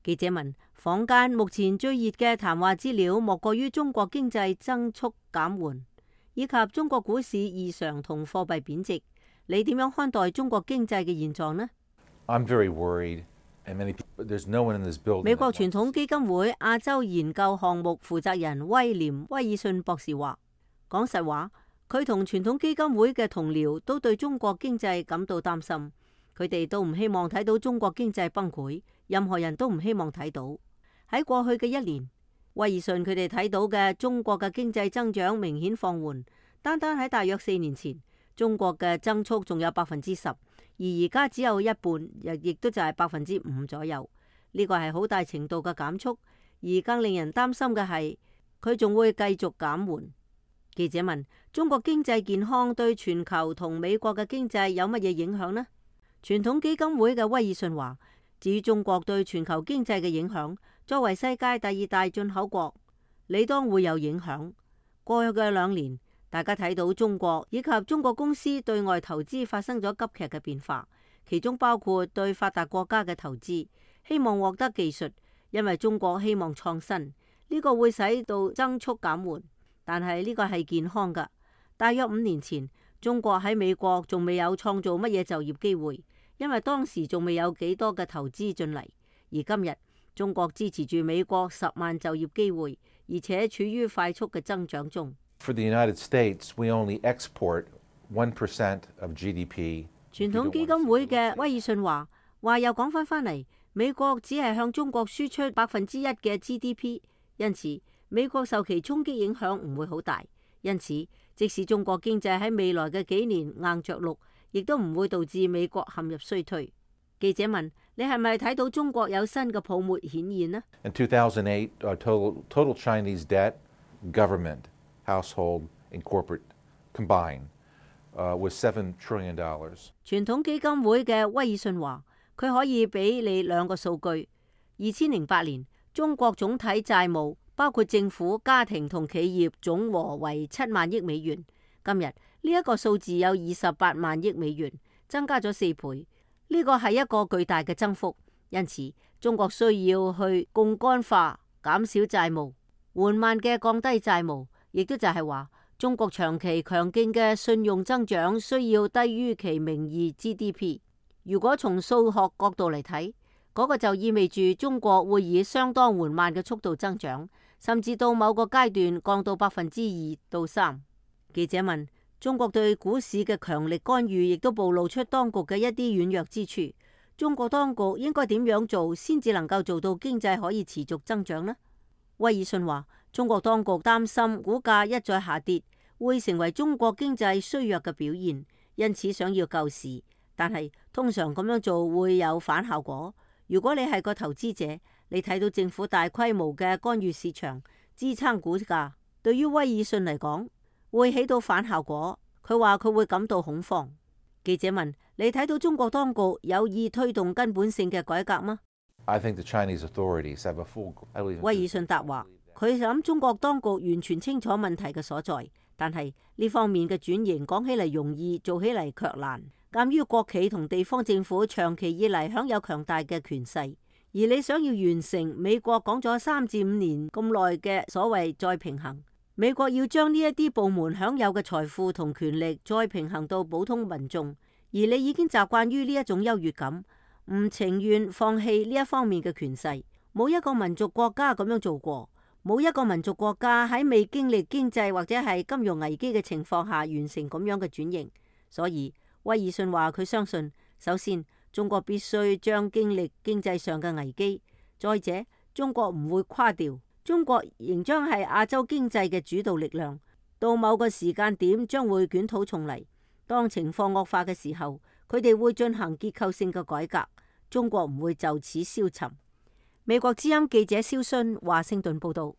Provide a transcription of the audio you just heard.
記者問：坊間目前最熱嘅談話資料，莫過於中國經濟增速減緩，以及中國股市異常同貨幣貶值。你點樣看待中國經濟嘅現狀呢？美國傳統基金會亞洲研究項目負責人威廉·威爾遜博士話：講實話，佢同傳統基金會嘅同僚都對中國經濟感到擔心，佢哋都唔希望睇到中國經濟崩潰，任何人都唔希望睇到。喺過去嘅一年，威爾遜佢哋睇到嘅中國嘅經濟增長明顯放緩，單單喺大約4年前，中國嘅增速仲有10%，而而家只有一半，亦都就係5%左右。呢個係好大程度嘅減速，而更令人擔心嘅係佢仲會繼續減緩。記者問：中國經濟健康對全球同美國嘅經濟有乜嘢影響呢？傳統基金會嘅威爾遜話：至於中國對全球經濟嘅影響，作為世界第2大進口國，理當會有影響。過去嘅2年，大家睇到中國以及中國公司對外投資發生咗急劇嘅變化，其中包括對發達國家嘅投資，希望獲得技術，因為中國希望創新，呢個會使到增速減緩，但係呢個係健康㗎。大約5年前，中國喺美國仲未有創造乜嘢就業機會，因為當時仲未有幾多嘅投資進嚟，而今日中國支持住美國10萬就業機會，而且處於快速嘅增長中。For the United States, we only export 1% of GDP. 傳統基金會嘅威爾遜話又講翻嚟，美國只係向中國輸出1%嘅 GDP， 因此美國受其衝擊影響唔會好大。因此，即使中國經濟喺未來嘅幾年硬着陸，亦都唔會導致美國陷入衰退。記者問：你係咪睇到中國有新嘅泡沫顯現呢？ In 2008, total Chinese debt, government, household and corporate combined was $7 trillion. 傳統基金會嘅威爾遜話：佢可以俾你2個數據。2008年，中國總體債務包括政府、家庭同企業總和為7萬億美元。今日呢一個數字有28萬億美元，增加咗4倍。呢個係一個巨大嘅增幅，因此中國需要去槓桿化，減少債務，緩慢嘅降低債務，亦都就係話中國長期強勁嘅信用增長需要低於其名義 GDP。如果從數學角度嚟睇，嗰個就意味住中國會以相當緩慢嘅速度增長，甚至到某個階段降到2%到3%。記者問：中國對股市嘅強力干預亦都暴露出當局嘅一啲軟弱之處。中國當局應該點樣做先至能夠做到經濟可以持續增長呢？威爾遜話：中國當局擔心股價一再下跌會成為中國經濟衰弱嘅表現，因此想要救市。但係通常咁樣做會有反效果。如果你係個投資者，你睇到政府大規模嘅干預市場，支撐股價，對於威爾遜嚟講會起到反效果。佢話佢會感到恐慌。記者問：你睇到中國當局有意推動根本性嘅改革嗎？I think the Chinese authorities have a full. 威爾遜答話：佢諗中國當局完全清楚問題嘅所在，但係呢方面嘅轉型講起嚟容易，做起嚟卻難。鑒於國企同地方政府長期以嚟享有強大嘅權勢，而你想要完成美國講咗3至5年咁耐嘅所謂再平衡，美國要將呢一啲部門享有嘅財富同權力再平衡到普通民眾，而你已經習慣於呢一種優越感，唔情願放棄呢一方面嘅權勢。冇一個民族國家咁樣做過，冇一個民族國家喺未經歷經濟或者係金融危機嘅情況下完成咁樣嘅轉型。所以威爾遜話佢相信，首先中國必須將經歷經濟上嘅危機，再者中國唔會垮掉，中國仍將係亞洲經濟嘅主導力量，到某個時間點將會捲土重嚟。當情況惡化嘅時候，佢哋會進行結構性嘅改革，中國唔會就此消沉。美國之音記者蕭勳華盛頓報道。